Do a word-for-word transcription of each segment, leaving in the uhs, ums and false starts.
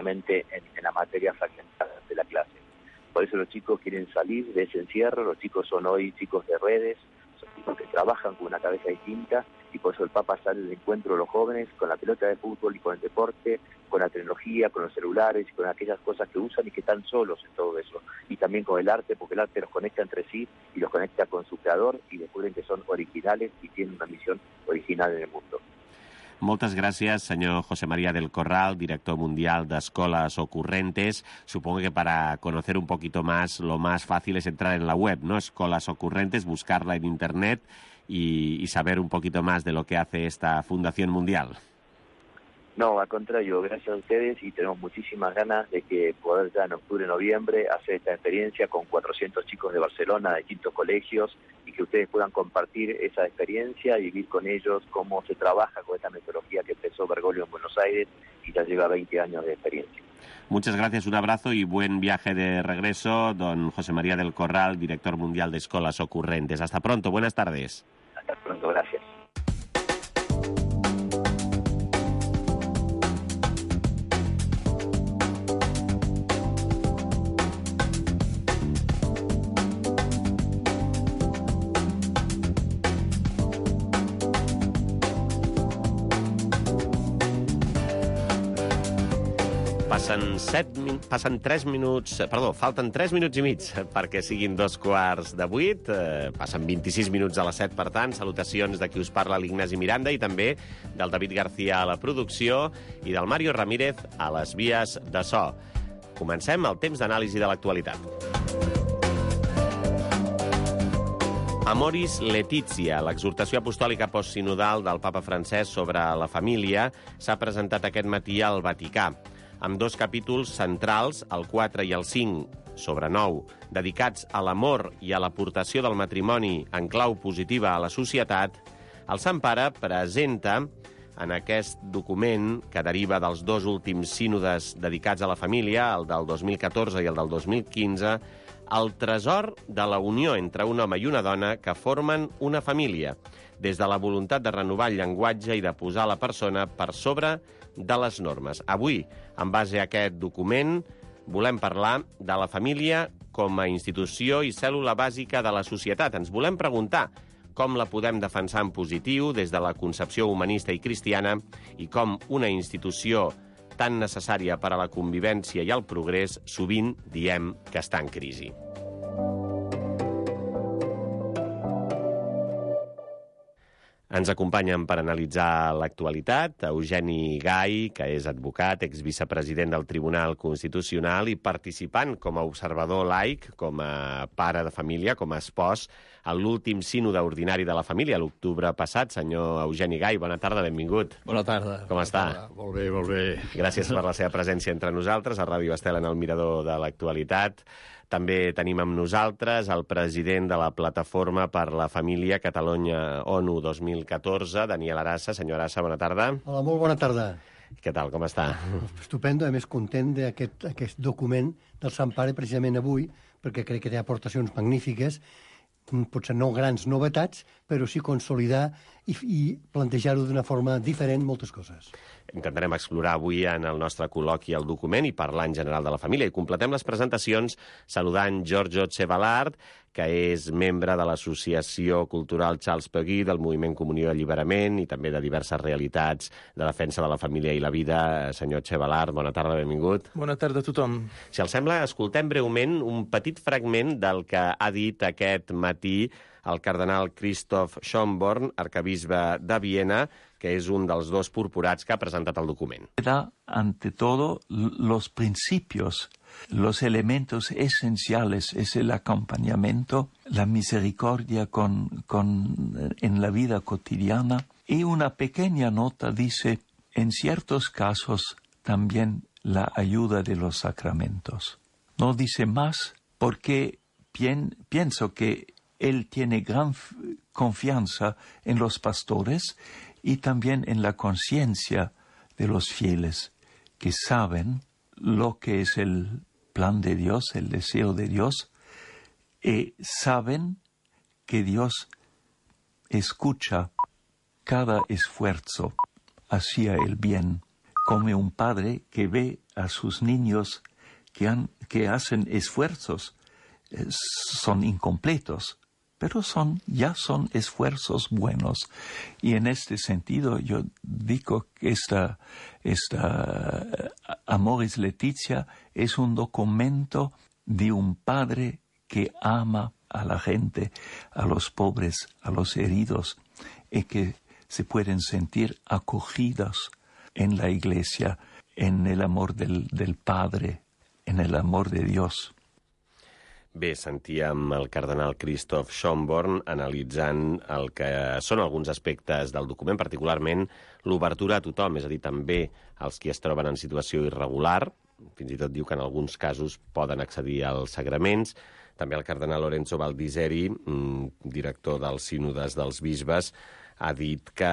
solamente en, en la materia fragmentada de la clase. Por eso los chicos quieren salir de ese encierro, los chicos son hoy chicos de redes, son chicos que trabajan con una cabeza distinta, y por eso el Papa sale al encuentro de los jóvenes con la pelota de fútbol y con el deporte, con la tecnología, con los celulares y con aquellas cosas que usan y que están solos en todo eso. Y también con el arte, porque el arte los conecta entre sí y los conecta con su creador y descubren que son originales y tienen una misión original en el mundo. Moltes gràcies, senyor José María del Corral, director mundial de Escolas Ocurrentes. Supongo que para conocer un poquito más, lo más fácil es entrar en la web, ¿no? Escolas Ocurrentes, buscarla en internet y, y saber un poquito más de lo que hace esta Fundación Mundial. No, al contrario, gracias a ustedes y tenemos muchísimas ganas de que poder ya en octubre, noviembre, hacer esta experiencia con cuatrocientos chicos de Barcelona, de distintos colegios, y que ustedes puedan compartir esa experiencia y vivir con ellos cómo se trabaja con esta metodología que empezó Bergoglio en Buenos Aires y ya lleva veinte años de experiencia. Muchas gracias, un abrazo y buen viaje de regreso, don José María del Corral, director mundial de Escolas Ocurrentes. Hasta pronto, buenas tardes. Hasta pronto, gracias. Passen, set, passen tres minuts, perdó, falten tres minuts i mig perquè siguin dos quarts de vuit. Eh, passen vint-i-sis minuts a les set, per tant. Salutacions de qui us parla, l'Ignasi Miranda, i també del David García a la producció i del Mario Ramírez a les vies de so. Comencem el temps d'anàlisi de l'actualitat. Amoris Laetitia, l'exhortació apostòlica postsinodal del papa francès sobre la família, s'ha presentat aquest matí al Vaticà, amb dos capítols centrals, el quatre i el cinc, sobre nou, dedicats a l'amor i a l'aportació del matrimoni en clau positiva a la societat. El Sant Pare presenta en aquest document, que deriva dels dos últims sínodes dedicats a la família, el del dos mil catorze i el del dos mil quinze, el tresor de la unió entre un home i una dona que formen una família, des de la voluntat de renovar el llenguatge i de posar la persona per sobre de les normes. Avui, en base a aquest document, volem parlar de la família com a institució i cèl·lula bàsica de la societat. Ens volem preguntar com la podem defensar en positiu des de la concepció humanista i cristiana i com una institució tan necessària per a la convivència i el progrés sovint diem que està en crisi. Ens acompanyen per analitzar l'actualitat Eugeni Gai, que és advocat, exvicepresident del Tribunal Constitucional i participant com a observador laic, com a pare de família, com a espòs, a l'últim sínode ordinari de la família, l'octubre passat. Senyor Eugeni Gai, bona tarda, benvingut. Bona tarda. Com està? Tarda. Molt bé, molt bé. Gràcies per la seva presència entre nosaltres, a Ràdio Estel en el Mirador de l'Actualitat. També tenim amb nosaltres el president de la Plataforma per la Família Catalunya-ONU dos mil catorze, Daniel Arassa. Senyor Arassa, bona tarda. Hola, molt bona tarda. Què tal, com està? Estupendo, a més content d'aquest aquest document del Sant Pare precisament avui, perquè crec que té aportacions magnífiques, potser no grans novetats, però sí consolidar i, i plantejar-ho d'una forma diferent moltes coses. Intentarem explorar avui en el nostre col·loqui el document i parlar en general de la família. I completem les presentacions saludant Giorgio Cevallard, que és membre de l'Associació Cultural Charles Peguy, del Moviment Comunió i Alliberament i també de diverses realitats de defensa de la família i la vida. Senyor Cevallard, bona tarda, benvingut. Bona tarda a tothom. Si els sembla, escoltem breument un petit fragment del que ha dit aquest matí el cardenal Christoph Schönborn, arcabisbe de Viena, que és un dels dos purpurats que ha presentat el document. Ante todo, los principios, los elementos esenciales es el acompañamiento, la misericordia con, con, en la vida cotidiana. Y una pequeña nota dice, en ciertos casos, también la ayuda de los sacramentos. No dice más porque pien, pienso que él tiene gran confianza en los pastores y también en la conciencia de los fieles, que saben lo que es el plan de Dios, el deseo de Dios, y saben que Dios escucha cada esfuerzo hacia el bien, como un padre que ve a sus niños que, han, que hacen esfuerzos, eh, son incompletos, pero son, ya son esfuerzos buenos. Y en este sentido yo digo que esta, esta Amoris Laetitia es un documento de un padre que ama a la gente, a los pobres, a los heridos, y que se pueden sentir acogidos en la Iglesia, en el amor del, del Padre, en el amor de Dios. Bé, sentíem el cardenal Christoph Schönborn analitzant el que són alguns aspectes del document, particularment l'obertura a tothom, és a dir, també als qui es troben en situació irregular, fins i tot diu que en alguns casos poden accedir als sagraments. També el cardenal Lorenzo Baldiseri, director dels sínodes dels bisbes, ha dit que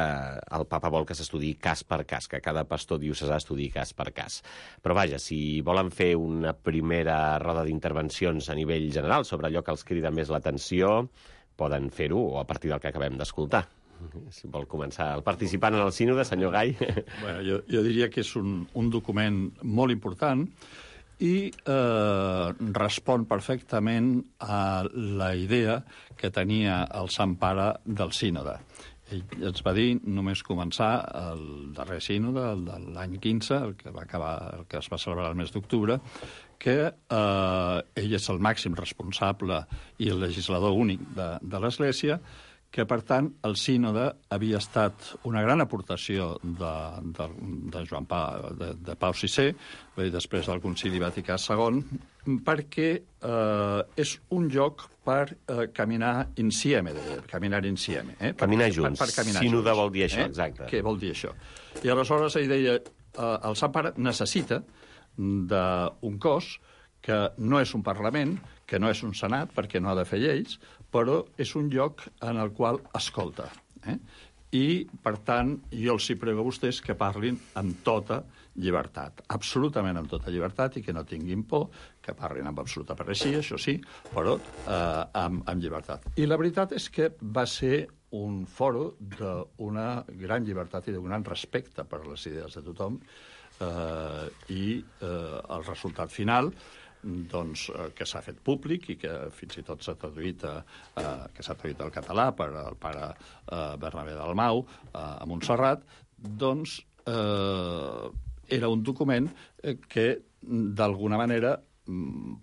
el papa vol que s'estudiï cas per cas, que cada pastor diocesà estudiï cas per cas. Però vaja, si volen fer una primera roda d'intervencions a nivell general sobre allò que els crida més l'atenció, poden fer-ho, o a partir del que acabem d'escoltar. Si vol començar el participant en el sínode, senyor Gai. Bueno, jo, jo diria que és un, un document molt important i eh, respon perfectament a la idea que tenia el Sant Pare del sínode. Ell ens va dir, només començar el darrer sínode, el de l'any quinze, el que va acabar, el que es va celebrar el mes d'octubre, que eh, ell és el màxim responsable i el legislador únic de, de l'Església, que, per tant, el sínode havia estat una gran aportació de, de, de Joan Pau, de, de Pau sisè, després del Concili Vaticà segon, perquè eh, és un lloc per eh, caminar insieme, de, caminar insieme. Eh? Caminar junts. Per, per caminar sínode junts, vol dir això, eh? exacte. Què vol dir això? I aleshores ell deia, eh, el Sant Pare necessita d'un cos que no és un Parlament, que no és un Senat, perquè no ha de fer lleis, però és un lloc en el qual escolta. Eh? I, per tant, jo els hi prego a vostès que parlin amb tota llibertat, absolutament amb tota llibertat, i que no tinguin por, que parlin amb absoluta pareixia, això sí, però eh, amb, amb llibertat. I la veritat és que va ser un foro d'una gran llibertat i d'un gran respecte per les idees de tothom, eh, i eh, el resultat final, doncs, eh, que s'ha fet públic i que fins i tot s'ha traduït, eh, que s'ha traduït al català per el pare eh, Bernabé Dalmau eh, a Montserrat, doncs eh, era un document eh, que d'alguna manera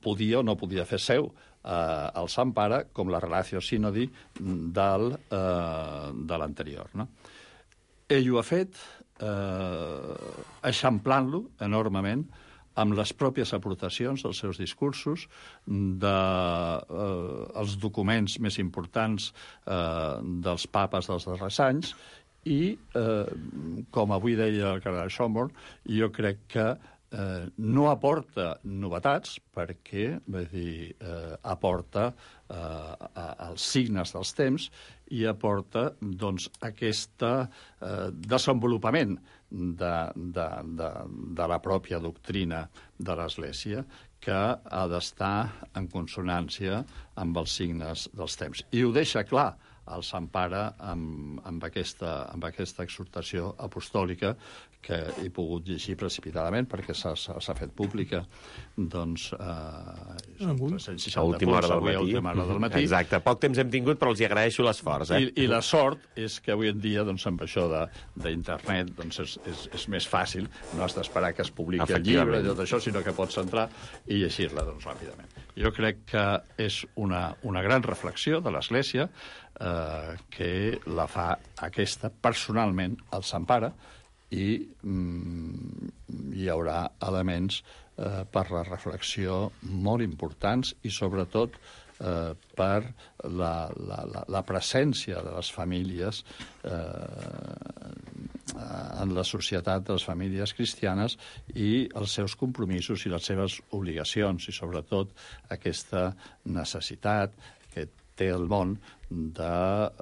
podia o no podia fer seu eh, el Sant Pare com la Relatio Synodi del, eh, de l'anterior. No? Ell ho ha fet eh, eixamplant-lo enormement amb les pròpies aportacions dels seus discursos, dels de, eh, documents més importants eh, dels papes dels darrers anys, i, eh, com avui deia el cardenal Schönborn, jo crec que eh, no aporta novetats, perquè vull dir, eh, aporta eh, els signes dels temps i aporta doncs, aquest eh, desenvolupament de, de, de, de la pròpia doctrina de l'Església, que ha d'estar en consonància amb els signes dels temps. I ho deixa clar el Sant Pare amb, amb, aquesta, amb aquesta exhortació apostòlica, que he pogut llegir precipitadament perquè s'ha fet pública, doncs, eh, a última hora del matí. hora del matí. Exacte, poc temps hem tingut, però els hi agraeixo l'esforç. Eh? I, I la sort és que avui en dia, doncs, amb això d'internet, doncs, és, és, és més fàcil, no has d'esperar que es publiqui el llibre i tot això, sinó que pots entrar i llegir-la, doncs, ràpidament. Jo crec que és una, una gran reflexió de l'Església, eh, que la fa aquesta personalment el Sant Pare, i mm, hi haurà elements eh, per la reflexió molt importants i sobretot eh, per la, la, la, la presència de les famílies eh, en la societat de les famílies cristianes i els seus compromisos i les seves obligacions, i sobretot aquesta necessitat que té el món de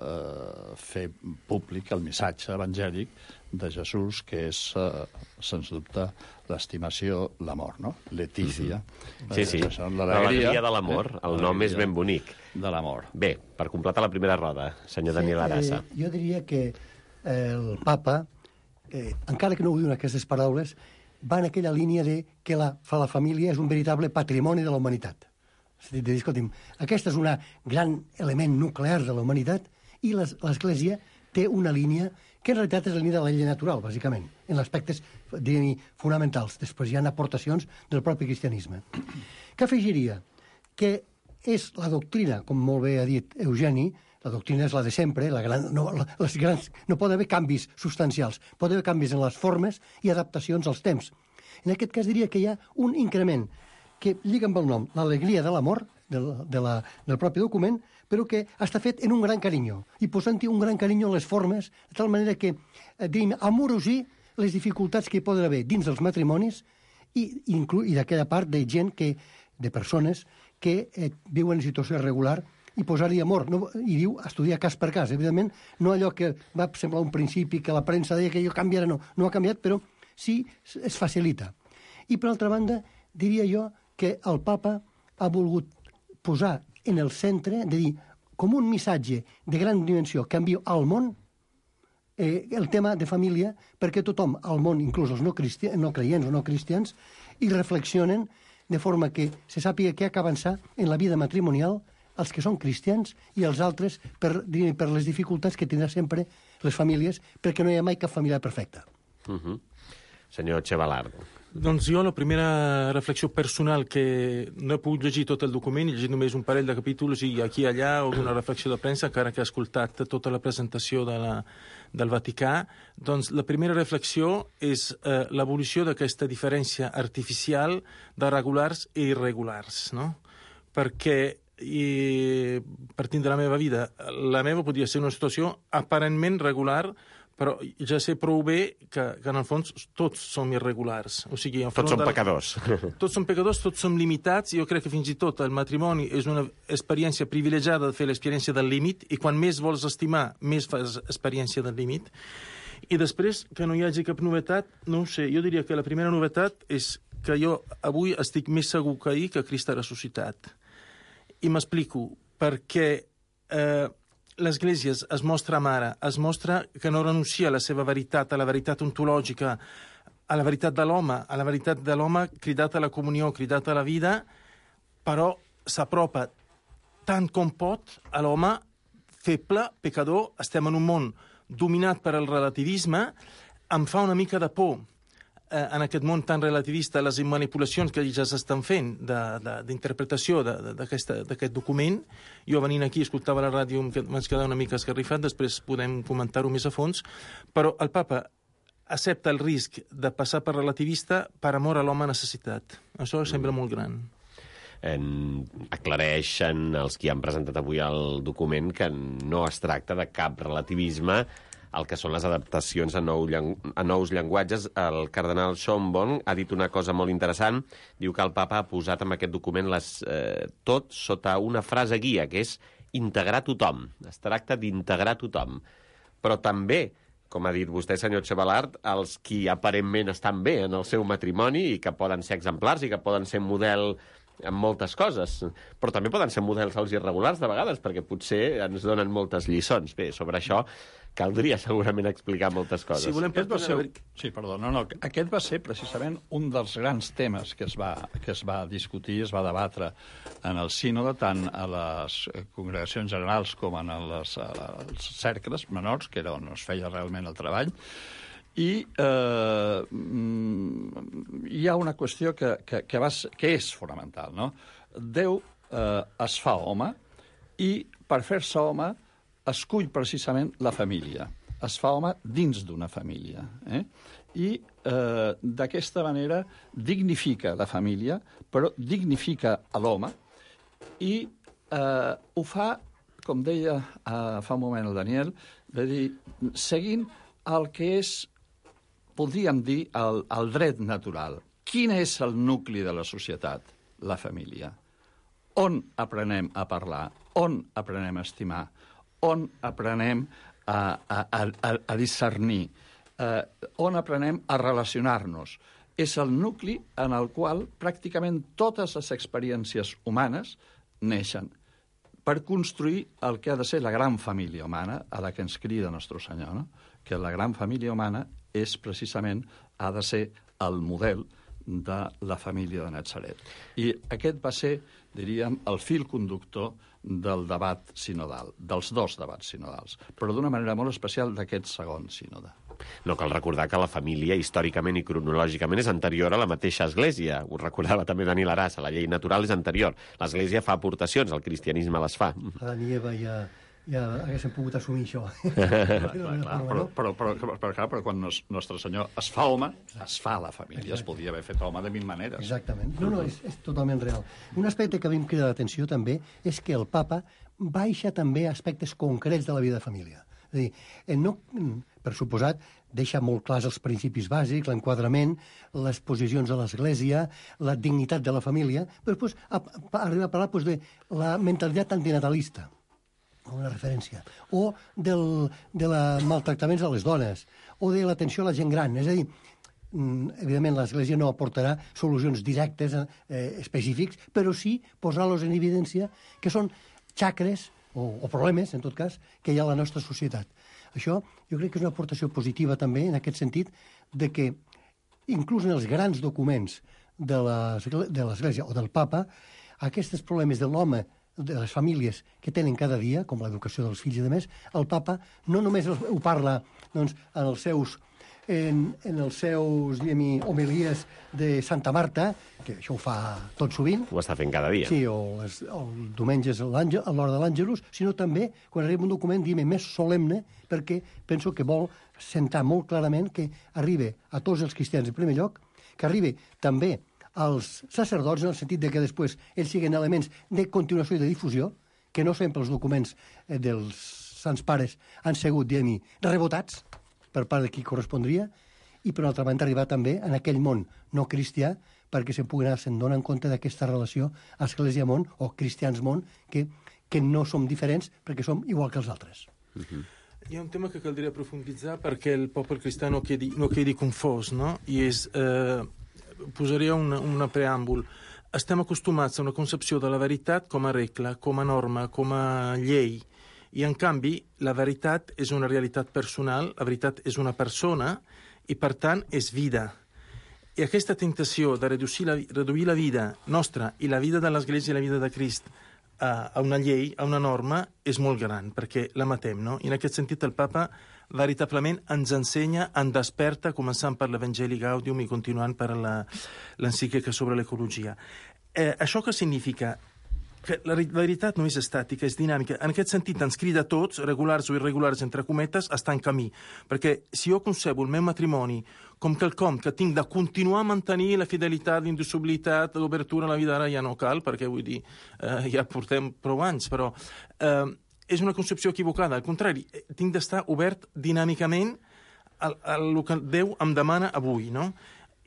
eh, fer públic el missatge evangèlic de Jesús, que és, eh, sens dubte, l'estimació, l'amor, no? Letícia. Mm-hmm. Sí, sí, eh, l'alegria de l'amor. Eh? El nom és ben bonic. De l'amor. Bé, per completar la primera roda, senyor Daniel Arassa. Sí, eh, jo diria que el papa eh, encara que no ho diuen aquestes paraules, va en aquella línia de que la, la família és un veritable patrimoni de la humanitat. És a dir, de dir, escolti'm, aquest és un gran element nuclear de la humanitat i l'Església té una línia que en realitat és la línia de la llei natural, bàsicament, en aspectes fonamentals. Després hi ha aportacions del propi cristianisme. Què afegiria? Que és la doctrina, com molt bé ha dit Eugeni, la doctrina és la de sempre, la gran, no, les grans, no pot haver canvis substancials, pot haver canvis en les formes i adaptacions als temps. En aquest cas diria que hi ha un increment que lliga amb el nom, l'alegria de l'amor, del, de la, del propi document, però que està fet en un gran carinyo, i posant-hi un gran carinyo en les formes, de tal manera que, eh, diríem, amorosir les dificultats que hi poden haver dins dels matrimonis i, inclu, i d'aquella part de gent, que, de persones que eh, viuen en situació irregular, i posar-hi amor. No, i diu estudiar cas per cas. Evidentment, no allò que va semblar un principi que la premsa deia que allò canviarà, no. No ha canviat, però sí es facilita. I, per altra banda, diria jo que el papa ha volgut posar en el centre, de dir, com un missatge de gran dimensió que envia al món, eh, el tema de família, perquè tothom al món, inclús els no, cristians, no creients o no cristians, hi reflexionen de forma que se sàpiga què ha d'avançar en la vida matrimonial els que són cristians i els altres per, per les dificultats que tindrà sempre les famílies, perquè no hi ha mai cap família perfecta. Uh -huh. Senyor Chevalard. Doncs jo la primera reflexió personal, que no he pogut llegir tot el document, he llegit només un parell de capítols i aquí i allà alguna reflexió de premsa, encara que he escoltat tota la presentació de la, del Vaticà, doncs la primera reflexió és eh, l'evolució d'aquesta diferència artificial de regulars i irregulars, no? Perquè i partint de la meva vida, la meva podria ser una situació aparentment regular, però ja sé prou bé que, que en el fons tots som irregulars. O sigui, tots som de... pecadors. Tots som pecadors, tots som limitats, i jo crec que fins i tot el matrimoni és una experiència privilegiada de fer l'experiència del límit, i quan més vols estimar, més fas experiència del límit. I després, que no hi hagi cap novetat, no ho sé, jo diria que la primera novetat és que jo avui estic més segur que ahir que Crist ha ressuscitat. I m'explico, perquè eh, l'Església es mostra mare, es mostra que no renuncia a la seva veritat, a la veritat ontològica, a la veritat de l'home, a la veritat de l'home cridat a la comunió, cridat a la vida, però s'apropa tant com pot a l'home feble, pecador. Estem en un món dominat per el relativisme. Em fa una mica de por en aquest món tan relativista, les manipulacions que ja s'estan fent d'interpretació d'aquest document. Jo venint aquí escoltava la ràdio, m'haig quedat una mica esgarrifat, després podem comentar-ho més a fons, però el papa accepta el risc de passar per relativista per amor a l'home necessitat. Això sembla molt gran. En, aclareixen els qui han presentat avui el document que no es tracta de cap relativisme el que són les adaptacions a, nou, a nous llenguatges. El cardenal Schönborn ha dit una cosa molt interessant. Diu que el papa ha posat en aquest document les, eh, tot sota una frase guia, que és integrar tothom. Es tracta d'integrar tothom. Però també, com ha dit vostè, senyor Chevalard, els qui aparentment estan bé en el seu matrimoni i que poden ser exemplars i que poden ser model en moltes coses, però també poden ser models als irregulars de vegades, perquè potser ens donen moltes lliçons. Bé, sobre això caldria segurament explicar moltes coses. Si volem... Aquest va ser... Sí, perdó, no, no. Aquest va ser precisament un dels grans temes que es va, que es va discutir, es va debatre en el sínode, tant a les congregacions generals com en les, els cercles menors, que era on es feia realment el treball. I eh, hi ha una qüestió que, que, que, va, que és fonamental, no? Déu eh, es fa home i per fer-se home escull precisament la família. Es fa home dins d'una família. Eh? I eh, d'aquesta manera dignifica la família, però dignifica a l'home i eh, ho fa, com deia eh, fa un moment el Daniel, de dir, seguint el que és, podríem dir, el, el dret natural. Quin és el nucli de la societat? La família. On aprenem a parlar? On aprenem a estimar? On aprenem a, a, a, a discernir? Eh, on aprenem a relacionar-nos? És el nucli en el qual pràcticament totes les experiències humanes neixen per construir el que ha de ser la gran família humana, a la que ens crida Nostre Senyor, no? Que la gran família humana és precisament, ha de ser el model de la família de Natzaret. I aquest va ser, diríem, el fil conductor del debat sinodal, dels dos debats sinodals, però d'una manera molt especial d'aquest segon sínode. No cal recordar que la família, històricament i cronològicament, és anterior a la mateixa Església. Ho recordava també Daniel Arasa, la llei natural és anterior. L'Església fa aportacions, el cristianisme les fa. Adán i Eva ja, ja haguessin pogut assumir això. Clar, clar, clar. Però, però, però, però, però, però quan nos, Nostre Senyor es fa home, es fa la família. Exacte. Es podia haver fet home de mil maneres. Exactament. No, no, és, és totalment real. Un aspecte que a mi em crida l'atenció també és que el papa baixa també aspectes concrets de la vida de família. És a dir, no, per suposat, deixa molt clars els principis bàsics, l'enquadrament, les posicions de l'Església, la dignitat de la família, però després arriba a parlar doncs, de la mentalitat antinatalista, una referència, o del, de la maltractaments a les dones, o de l'atenció a la gent gran. És a dir, evidentment l'Església no aportarà solucions directes eh, específics, però sí posar-los en evidència que són xacres o, o problemes, en tot cas, que hi ha a la nostra societat. Això jo crec que és una aportació positiva també en aquest sentit de que inclús en els grans documents de l'Església o del Papa, aquests problemes de l'home, de les famílies que tenen cada dia, com l'educació dels fills i de més, el Papa no només ho parla doncs, en els seus en, en els seus diguem, homilies de Santa Marta, que això ho fa tot sovint. Ho està fent cada dia. Sí, o els, el diumenges a l'hora de l'Àngelus, sinó també quan arriba un document diguem, més solemne, perquè penso que vol sentar molt clarament que arriba a tots els cristians en primer lloc, que arriba també als sacerdots, en el sentit de que després ells siguin elements de continuació i de difusió, que no sempre els documents dels Sants Pares han sigut, diguem-hi, rebotats per part de qui correspondria, i per altra banda arribar també en aquell món no cristià perquè se'n pugui anar se'n donar en compte d'aquesta relació Església-món o cristians-món que, que no som diferents perquè som igual que els altres. Uh-huh. Hi ha un tema que caldria profunditzar perquè el poble cristià no quedi, no quedi confós, no? I és... Eh, posaria una, una preàmbul. Estem acostumats a una concepció de la veritat com a regla, com a norma, com a llei, i en canvi la veritat és una realitat personal, la veritat és una persona i per tant és vida. I aquesta tentació de reduir la, reduir la vida nostra i la vida de l'Església i la vida de Crist a, a una llei, a una norma, és molt gran, perquè la matem, no? I en aquest sentit el Papa veritablement ens ensenya, ens desperta, començant per l'Evangeli Gaudium i continuant per l'encíclica sobre l'ecologia. Eh, això què significa? Que la veritat no és estàtica, és dinàmica. En aquest sentit ens crida a tots, regulars o irregulars, entre cometes, a estar en camí. Perquè si jo concebo el meu matrimoni com quelcom que tinc de continuar a mantenir la fidelitat, l'indissolubilitat, l'obertura a la vida, ara ja no cal, perquè vull dir, eh, ja portem prou anys, però... Eh, és una concepció equivocada. Al contrari, tinc d'estar obert dinàmicament a, a el que Déu em demana avui, no?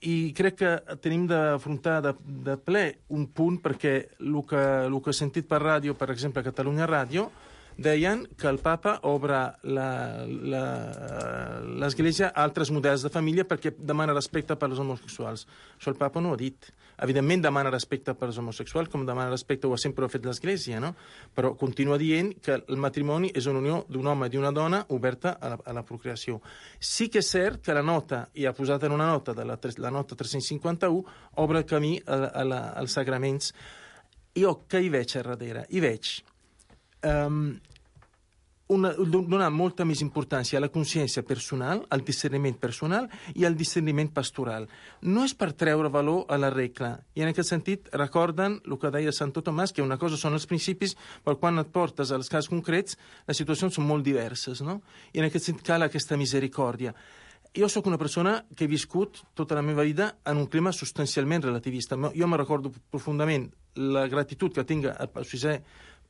I crec que tenim d'afrontar de, de ple un punt perquè el que, el que he sentit per ràdio, per exemple, a Catalunya Ràdio, deien que el Papa obre l'Església a altres models de família perquè demana respecte per als homosexuals. Això el Papa no ho ha dit. Evidentment demana respecte per als homosexuals, com demana respecte ho ha sempre fet l'Església, no? Però continua dient que el matrimoni és una unió d'un home i d'una dona oberta a la, a la procreació. Sí que és cert que la nota, i ha posat en una nota, de la, la nota tres-cents cinquanta-u, obre el camí a, a la, als sagraments. Jo què hi veig a darrere? Hi veig... Um, una, donar molta més importància a la consciència personal, al discerniment personal i al discerniment pastoral. No és per treure valor a la regla. I en aquest sentit recorden el que deia Santo Tomàs, que una cosa són els principis, però quan et portes als casos concrets, les situacions són molt diverses, no? I en aquest sentit cal aquesta misericòrdia. Jo sóc una persona que he viscut tota la meva vida en un clima substancialment relativista. Jo me recordo profundament la gratitud que tinc al Pau sisè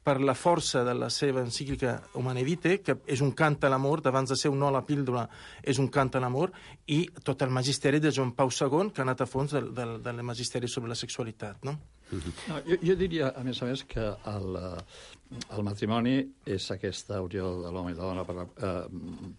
per la força de la seva encíclica Humane Vitae, que és un cant a l'amor, d'abans de ser un no a la píldora, és un cant a l'amor, i tot el magisteri de Joan Pau segon, que ha anat a fons del, del, del magisteri sobre la sexualitat, no? No, jo, jo diria, a més a més, que el, el matrimoni és aquesta unió de l'home i de la dona per la, eh,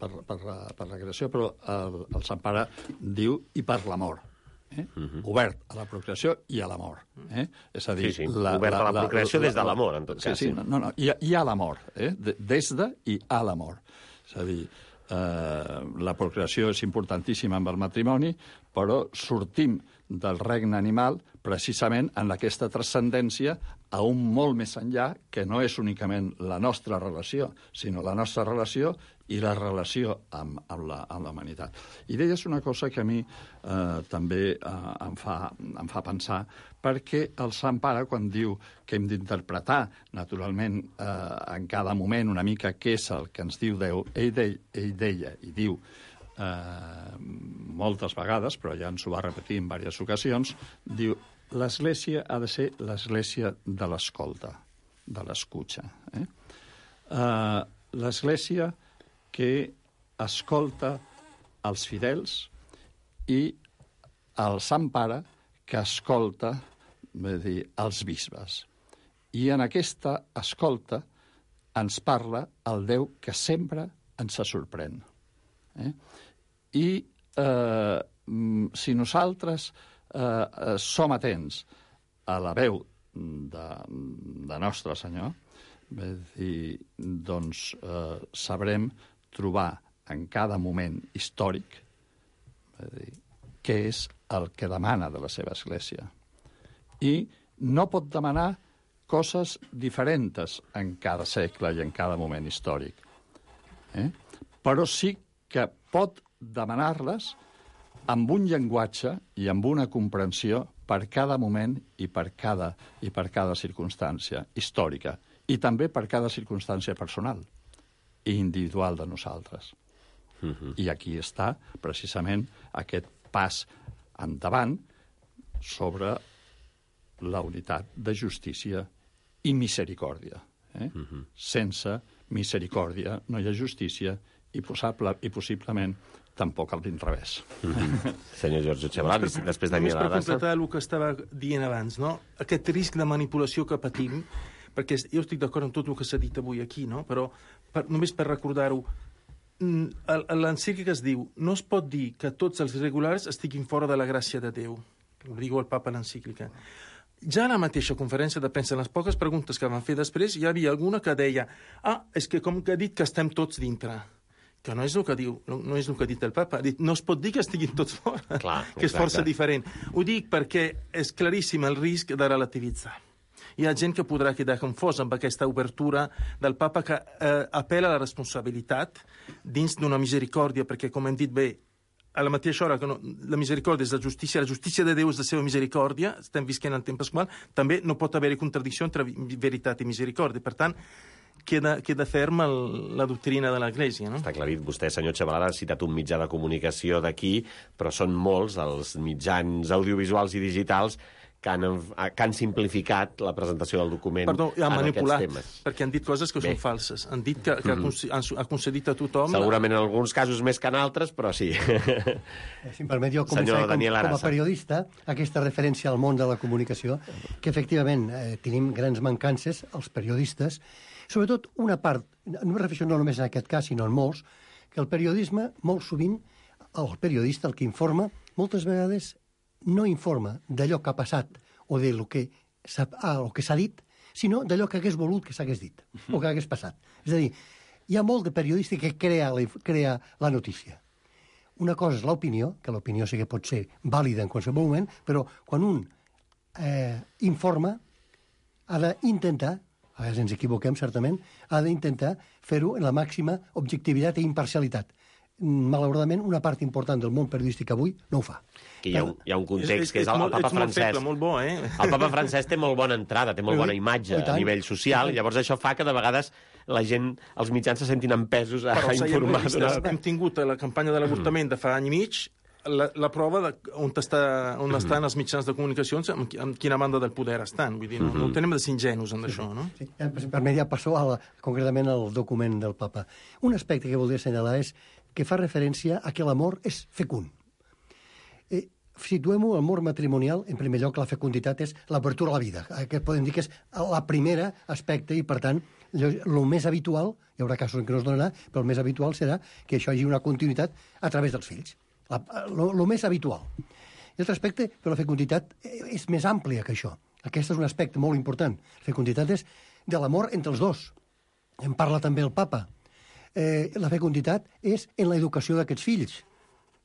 per, per, la, per la creació, però el, el Sant Pare diu i per l'amor. Eh? Uh-huh. Obert a la procreació i a l'amor. Eh? És a dir, sí, sí. La, obert la, a la procreació la, la, des de l'amor, en tot sí, cas. Sí, no, no, i, i a l'amor. Eh? De, des de i a l'amor. És a dir, eh, la procreació és importantíssima amb el matrimoni, però sortim del regne animal precisament en aquesta transcendència a un molt més enllà, que no és únicament la nostra relació, sinó la nostra relació i la relació amb, amb, la, amb la humanitat. I deies una cosa que a mi eh, també eh, em, fa, em fa pensar, perquè el Sant Pare, quan diu que hem d'interpretar, naturalment, eh, en cada moment una mica què és el que ens diu Déu, ell, de, ell deia i diu eh, moltes vegades, però ja ens ho va repetir en diverses ocasions, diu, l'Església ha de ser l'Església de l'escolta, de l'escucha. Eh? Eh, L'Església que escolta els fidels i el Sant Pare que escolta, vull dir, els bisbes. I en aquesta escolta ens parla el Déu que sempre ens sorprèn. Eh? I eh, si nosaltres eh, som atents a la veu de, de Nostre Senyor, vull dir, doncs eh, sabrem trobar en cada moment històric, vull dir, què és el que demana de la seva Església. I no pot demanar coses diferents en cada segle i en cada moment històric. Eh? Però sí que pot demanar-les amb un llenguatge i amb una comprensió per cada moment i per cada, i per cada circumstància històrica, i també per cada circumstància personal i individual de nosaltres. Uh-huh. I aquí està, precisament, aquest pas endavant sobre la unitat de justícia i misericòrdia. Eh? Uh-huh. Sense misericòrdia no hi ha justícia i, possible, i possiblement tampoc a l'inrevés. Mm-hmm. Senyor Giorgio Cebalari, després de Només per completar el que estava dient abans, no? Aquest risc de manipulació que patim, perquè jo estic d'acord amb tot el que s'ha dit avui aquí, no? Però per, només per recordar-ho, l'encíclica es diu no es pot dir que tots els irregulars estiguin fora de la gràcia de Déu. Ho diu el papa a l'encíclica. Ja a la mateixa conferència de premsa, en les poques preguntes que van fer després, hi havia alguna que deia ah, és que com que ha dit que estem tots dintre, que no és el que diu, no és el que ha dit el papa, ha dit no es pot dir que estiguin tots fora, clar, que és força diferent. Ho dic perquè és claríssim el risc de relativitzar. Hi ha gent que podrà quedar confosa amb aquesta obertura del papa que eh, apel·la a la responsabilitat dins d'una misericòrdia, perquè, com hem dit bé, a la mateixa hora que no, la misericòrdia és la justícia, la justícia de Déu és la seva misericòrdia, estem visquent el temps pasqual, també no pot haver-hi contradicció entre veritat i misericòrdia. Per tant, queda, queda ferma el, la doctrina de l'Església, no? Està aclarit. Vostè, senyor Cebalari, ha citat un mitjà de comunicació d'aquí, però són molts els mitjans audiovisuals i digitals que han, que han simplificat la presentació del document. Perdó, han en manipulat, aquests temes. Perquè han dit coses que Bé. són falses. Han dit que, que mm-hmm. han, ha concedit a tothom... Segurament en alguns casos més que en altres, però sí. Si em permet, jo començaré com, com a periodista aquesta referència al món de la comunicació, que efectivament eh, tenim grans mancances, els periodistes, sobretot una part, no em refereixo no només en aquest cas, sinó en molts, que el periodisme, molt sovint, el periodista, el que informa, moltes vegades no informa d'allò que ha passat o del que s'ha ah, que s'ha dit, sinó d'allò que hagués volut que s'hagués dit o que hagués passat. És a dir, hi ha molt de periodista que crea la, crea la notícia. Una cosa és l'opinió, que l'opinió sí que pot ser vàlida en qualsevol moment, però quan un eh, informa ha d'intentar, a vegades ens equivoquem certament, ha d'intentar fer-ho en la màxima objectivitat i imparcialitat. Malauradament, una part important del món periodístic avui no ho fa. Que hi ha un, hi ha un context, que és el, el Papa Francesc. Feble, molt bo, eh? El Papa Francesc té molt bona entrada, té molt bona imatge a nivell social, i llavors això fa que de vegades la gent, els mitjans se sentin empesos a, a informar. Però hem tingut a la campanya de l'avortament de fa any i mig la, la prova de on, està, on mm. estan els mitjans de comunicacions, amb, amb quina banda del poder estan. Vull dir, no, no tenem de ser ingenus en això, no? Sí, per mi ja passó a la, concretament al document del Papa. Un aspecte que voldria assenyalar és que fa referència a que l'amor és fecund. Eh, Situem-ho, l'amor matrimonial, en primer lloc, la fecunditat és l'obertura a la vida, que podem dir que és la primera aspecte i, per tant, el més habitual, hi haurà casos en què no es donarà, però el més habitual serà que això hi hagi una continuïtat a través dels fills. El més habitual. I l'altre aspecte, però la fecunditat és més àmplia que això. Aquest és un aspecte molt important. La fecunditat és de l'amor entre els dos. En parla també el Papa. eh, la fecunditat és en l'educació d'aquests fills,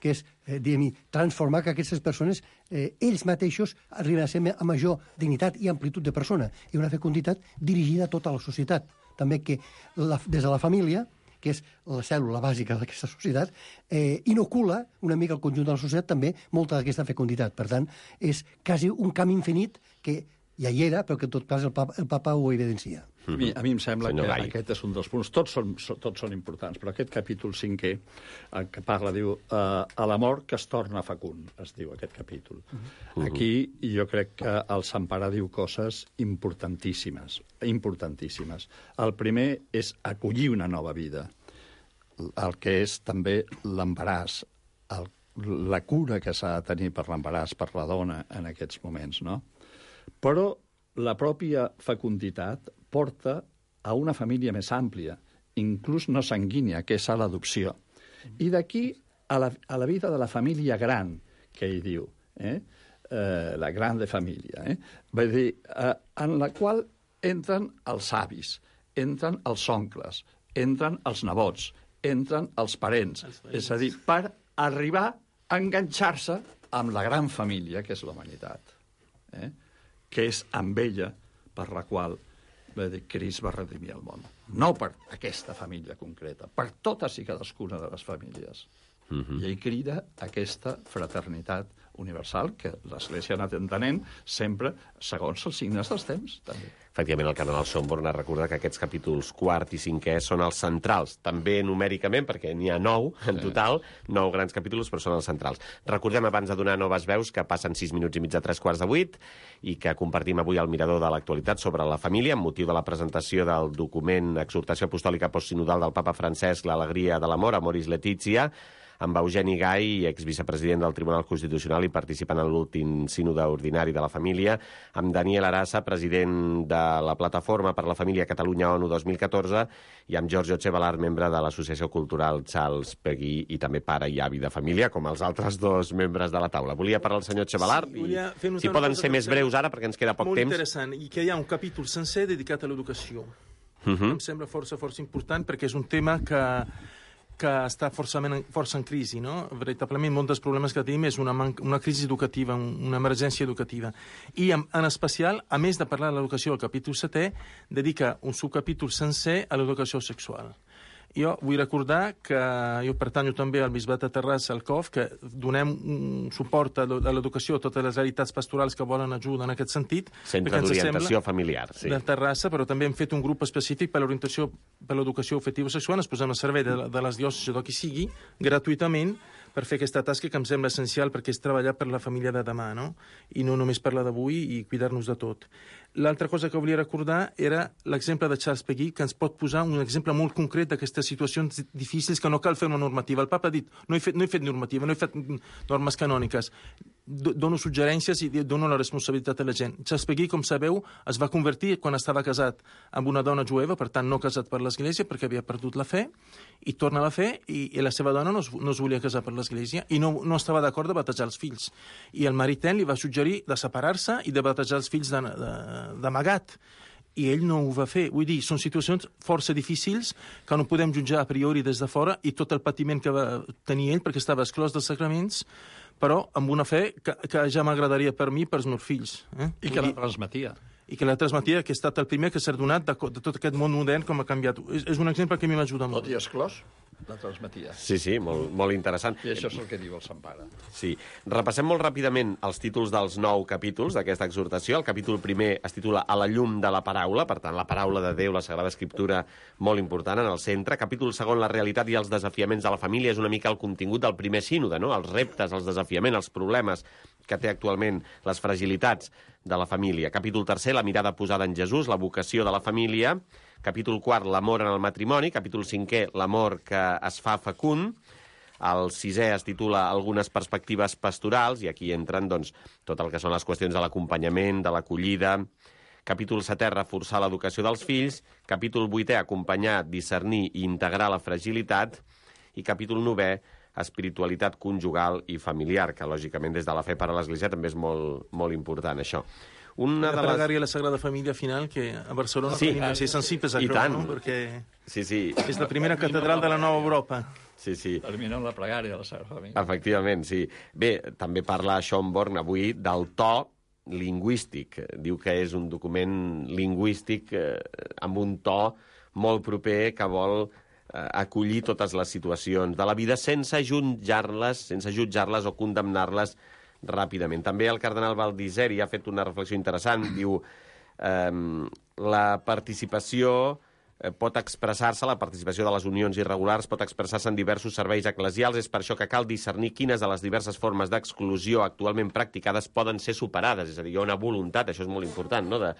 que és eh, diguem, transformar que aquestes persones, eh, ells mateixos, arriben a ser a major dignitat i amplitud de persona, i una fecunditat dirigida a tota la societat. També que la, des de la família, que és la cèl·lula bàsica d'aquesta societat, eh, inocula una mica el conjunt de la societat també molta d'aquesta fecunditat. Per tant, és quasi un camp infinit que ja hi era, però que en tot cas el papa, el papa ho evidencia. A mi, a mi em sembla Senyor que Gai. aquest és un dels punts. Tots són, so- tots són importants, però aquest capítol cinquè, el que parla, diu, eh, a l'amor que es torna fecund, es diu aquest capítol. Aquí jo crec que el Sant Pare diu coses importantíssimes, importantíssimes. El primer és acollir una nova vida, el que és també l'embaràs, el, la cura que s'ha de tenir per l'embaràs, per la dona en aquests moments, no? Però la pròpia fecunditat porta a una família més àmplia, inclús no sanguínia, que és a l'adopció. I d'aquí a la, a la vida de la família gran, que ell diu, eh? Eh, la grande família, eh? Vull dir, eh, en la qual entren els avis, entren els oncles, entren els nebots, entren els parents, és a dir, per arribar a enganxar-se amb la gran família, que és la humanitat, eh? que és amb ella per la qual dir, Crist va redimir el món. No per aquesta família concreta, per totes i cadascuna de les famílies. Uh-huh. I ell crida aquesta fraternitat universal que l'Església ha anat entenent sempre segons els signes dels temps, també. Efectivament, el cardenal Schönborn ha recordat que aquests capítols quart i cinquè són els centrals, també numèricament, perquè n'hi ha nou en total, nou grans capítols, però són els centrals. Recordem, abans de donar noves veus, que passen sis minuts i mig a tres quarts de vuit i que compartim avui el mirador de l'actualitat sobre la família, amb motiu de la presentació del document Exhortació Apostòlica Postsinodal del Papa Francesc, l'Alegria de l'Amor, Amoris Laetitia, amb Eugeni Gai, exvicepresident del Tribunal Constitucional i participant en l'últim sínode ordinari de la família, amb Daniel Arassa, president de la Plataforma per la Família Catalunya-ONU dos mil catorze, i amb Giorgio Cebalar, membre de l'Associació Cultural Charles Peguy i també pare i avi de família, com els altres dos membres de la taula. Volia parlar el senyor Cebalar, Sí, i fer si poden ser més breus ara, perquè ens queda poc molt temps. Molt interessant, i que hi ha un capítol sencer dedicat a l'educació. Uh -huh. Em sembla força, força important, perquè és un tema que que està força, força en crisi, no? Veritablement, molts dels problemes que tenim és una, una crisi educativa, una emergència educativa. I, en, en especial, a més de parlar de l'educació, el capítol setè dedica un subcapítol sencer a l'educació sexual. Jo vull recordar que jo pertanyo també al Bisbat de Terrassa, al C O F, que donem un suport a l'educació a totes les realitats pastorals que volen ajuda en aquest sentit. Centre d'orientació familiar, sí. De Terrassa, però també hem fet un grup específic per l'orientació, per l'educació afectiva sexual. Ens posem al servei de, de les diòcesis o qui sigui, gratuïtament, per fer aquesta tasca que em sembla essencial, perquè és treballar per la família de demà, no? I no només per la d'avui, i cuidar-nos de tot. L'altra cosa que volia recordar era l'exemple de Charles Peguy, que ens pot posar un exemple molt concret d'aquestes situacions difícils que no cal fer una normativa. El papa ha dit, no he fet, no he fet normativa, no he fet normes canòniques, dono suggerències i dono la responsabilitat a la gent. Charles Peguy, com sabeu, es va convertir quan estava casat amb una dona jueva, per tant no casat per l'Església, perquè havia perdut la fe, i torna a la fe, i, i la seva dona no es, no es volia casar per l'Església, i no, no estava d'acord de batejar els fills. I el marit li va suggerir de separar-se i de batejar els fills de, de d'amagat, i ell no ho va fer. Vull dir, són situacions força difícils que no podem jutjar a priori des de fora, i tot el patiment que va tenir ell perquè estava exclòs dels sacraments, però amb una fe que, que ja m'agradaria per mi i pels meus fills. Eh? I que la transmetia. I que la transmetia, que ha estat el primer que s'ha donat de, de tot aquest món modern com ha canviat. És, és un exemple que a mi m'ajuda molt. Tot i exclòs, la transmetia. Sí, sí, molt, molt interessant. I això és el que diu el Sant Pare. Sí. Repassem molt ràpidament els títols dels nou capítols d'aquesta exhortació. El capítol primer es titula A la llum de la paraula, per tant, la paraula de Déu, la Sagrada Escriptura, molt important en el centre. Capítol segon, la realitat i els desafiaments de la família, és una mica el contingut del primer sínode, no? Els reptes, els desafiaments, els problemes que té actualment, les fragilitats de la família. Capítol tercer, la mirada posada en Jesús, la vocació de la família. Capítol quart, l'amor en el matrimoni. Capítol cinquè, l'amor que es fa fecund. El sisè es titula Algunes perspectives pastorals, i aquí entren doncs, tot el que són les qüestions de l'acompanyament, de l'acollida. Capítol setè, reforçar l'educació dels fills. Capítol vuitè, acompanyar, discernir i integrar la fragilitat. I capítol novè, espiritualitat conjugal i familiar, que lògicament des de la fe per a l'Església també és molt, molt important, això. Una la de les... pregària a la Sagrada Família final, que a Barcelona Sí, tenim que ser sensibles a i això, tant. no? Perquè Sí, sí. és la primera catedral de la nova Europa. Sí, sí. Termina amb la pregària de la Sagrada Família. Efectivament, sí. Bé, també parla Schönborn avui del to lingüístic. Diu que és un document lingüístic eh, amb un to molt proper que vol eh, acollir totes les situacions de la vida sense jutjar-les, sense jutjar-les o condemnar-les ràpidament. També el cardenal Baldisseri ha fet una reflexió interessant. Diu eh, la participació eh, pot expressar-se, la participació de les unions irregulars pot expressar-se en diversos serveis eclesials. És per això que cal discernir quines de les diverses formes d'exclusió actualment practicades poden ser superades. És a dir, hi ha una voluntat, això és molt important, no?, de,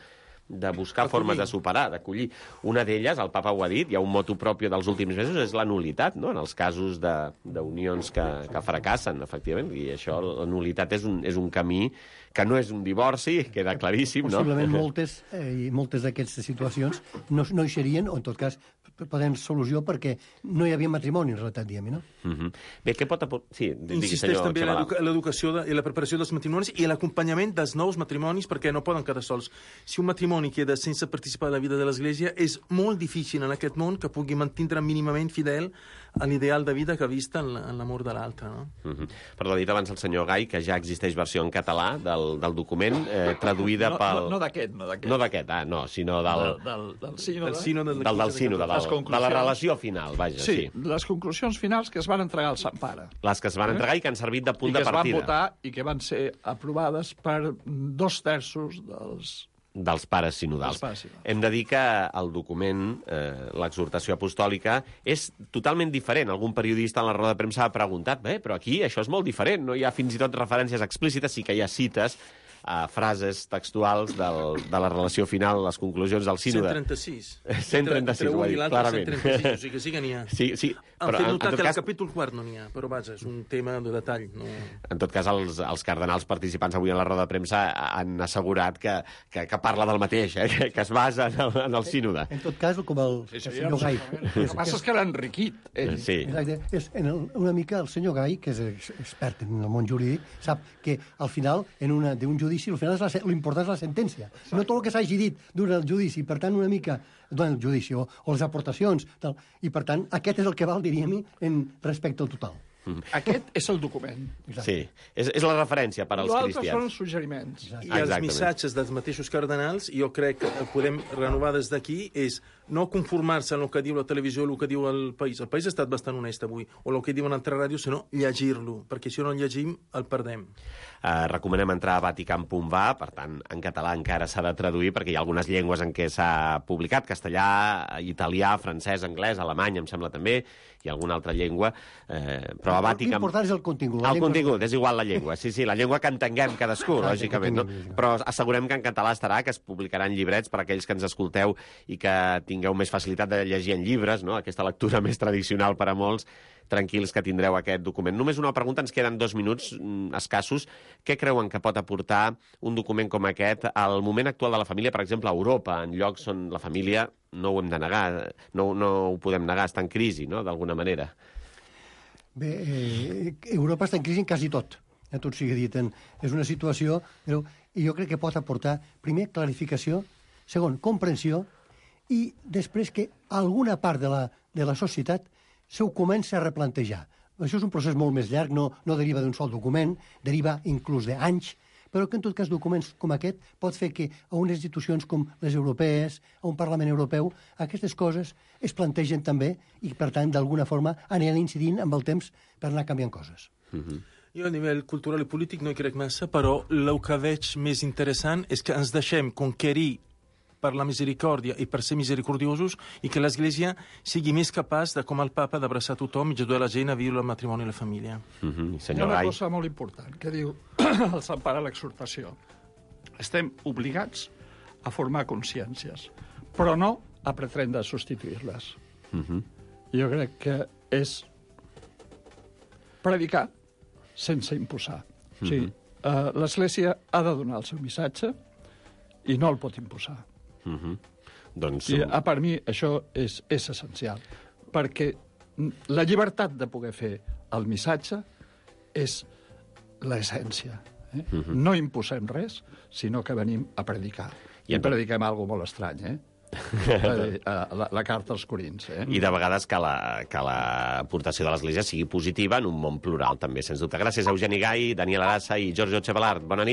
de buscar Acollir. formes de superar, d'acollir. Una d'elles, el papa ho ha dit, hi ha un motu propi dels últims mesos, és la nulitat, no?, en els casos d'unions que, que fracassen, efectivament, i això, la nulitat és un, és un camí que no és un divorci, queda claríssim, no? Possiblement moltes, eh, moltes d'aquestes situacions no, no hi serien, o en tot cas poden solució perquè no hi havia matrimoni, en realitat, diguem, no? Uh -huh. Bé, què pot aportar... Sí, digui, Insisteix senyor també en Xavalà. l'educa- l'educació de- i la preparació dels matrimonis i l'acompanyament dels nous matrimonis perquè no poden quedar sols. Si un matrimoni queda sense participar de la vida de l'Església, és molt difícil en aquest món que pugui mantindre mínimament fidel a l'ideal de vida que ha vist en la- en l'amor de l'altre. No? Uh -huh. Perdó, ha dit abans el senyor Gai que ja existeix versió en català del, del document, eh, traduïda No, pel... no, no d'aquest, no d'aquest. No d'aquest, ah, no, sinó del... Del, del, del sínode. El sínode Del, del sínode, Les del, de la conclusions. relació final, vaja, sí. Sí, les conclusions finals que es van entregar al Sant Pare. Les que es van entregar i que han servit de punt I que de es van partida. votar i que van ser aprovades per dos terços dels... Dels pares sinodals. Dels pares sinodals. Hem de dir que el document, eh, l'exhortació apostòlica, és totalment diferent. Algun periodista en la roda de premsa ha preguntat, bé, però aquí això és molt diferent, no hi ha fins i tot referències explícites, sí que hi ha cites a frases textuals del, de la relació final, les conclusions del sínode. cent trenta-sis. cent trenta-sis, Entre ho ha un i dit, l'altre, clarament. cent trenta-sis, o sigui que sí que n'hi ha. Sí, sí, Han però fet en, en notar tot que cas... el capítol quart no n'hi ha, però vaja, és un tema de detall. No... En tot cas, els, els cardenals participants avui en la roda de premsa han assegurat que, que, que parla del mateix, eh? que, que es basa en el, en el sínode. En tot cas, com el, el senyor Gai... El que passa és que l'ha enriquit. Ell. Sí. Exacte. És, en el, una mica el senyor Gai, que és ex- expert en el món jurídic, sap que al final, en una d'un judici, al final és la se- l'important és la sentència. No tot el que s'hagi dit durant el judici, per tant, una mica durant el judici o, o les aportacions, tal. I per tant, aquest és el que val, diríem, en respecte al total. Aquest és el document. Sí, és, és la referència per als L'altre són cristians. els suggeriments. I els Exactament. missatges dels mateixos cardenals, jo crec que el podem renovar des d'aquí, és no conformar-se en el que diu la televisió o el que diu el país. El país ha estat bastant honest avui, o el que diuen altres ràdios, sinó llegir-lo, perquè si no el llegim, el perdem. Eh, recomanem entrar a vatican punt va, per tant, en català encara s'ha de traduir, perquè hi ha algunes llengües en què s'ha publicat, castellà, italià, francès, anglès, alemany, em sembla també, i alguna altra llengua, eh, però a Vatican... L'important és el contingut. El contingut, és igual la llengua, sí, sí, la llengua que entenguem cadascú, Exacte, lògicament, no? que entenguem. Però assegurem que en català estarà, que es publicaran llibrets per a aquells que ens escolteu i que tingueu més facilitat de llegir en llibres, no? Aquesta lectura més tradicional per a molts, tranquils que tindreu aquest document. Només una pregunta, ens queden dos minuts mm, escassos. Què creuen que pot aportar un document com aquest al moment actual de la família, per exemple, a Europa, en llocs on la família, no ho hem de negar, no, no ho podem negar, està en crisi, no?, d'alguna manera. Bé, eh, Europa està en crisi en quasi tot. Ja tot sigui dit. En, és una situació... Però, i jo crec que pot aportar, primer, clarificació, segon, comprensió, i després que alguna part de la, de la societat se ho comença a replantejar. Això és un procés molt més llarg, no, no deriva d'un sol document, deriva inclús d'anys, però que en tot cas documents com aquest pot fer que a unes institucions com les europees, a un Parlament Europeu, aquestes coses es plantegen també i, per tant, d'alguna forma aniran incidint amb el temps per anar canviant coses. Uh-huh. Jo a nivell cultural i polític no hi crec massa, però el que veig més interessant és que ens deixem conquerir per la misericòrdia i per ser misericordiosos i que l'Església sigui més capaç de, com el papa, d'abraçar tothom i ajudar la gent a viure el matrimoni i la família. Uh-huh. Hi ha Senyor una Gai. cosa molt important que diu el Sant Pare a l'exhortació. Estem obligats a formar consciències, però no a pretendre substituir-les. Uh-huh. Jo crec que és predicar sense imposar. O sigui, uh, l'Església ha de donar el seu missatge i no el pot imposar. Uh-huh. Doncs... I a per mi això és, és essencial, perquè la llibertat de poder fer el missatge és l'essència, Eh? Uh-huh. No imposem res, sinó que venim a predicar. I, I prediquem alguna molt estrany, eh? la, la carta als Corins. Eh? I de vegades que la, que l'aportació de l'Església sigui positiva en un món plural, també, sens dubte. Gràcies a Eugeni Gai, Daniel Arassa i Giorgio Chevallard. Bona nit.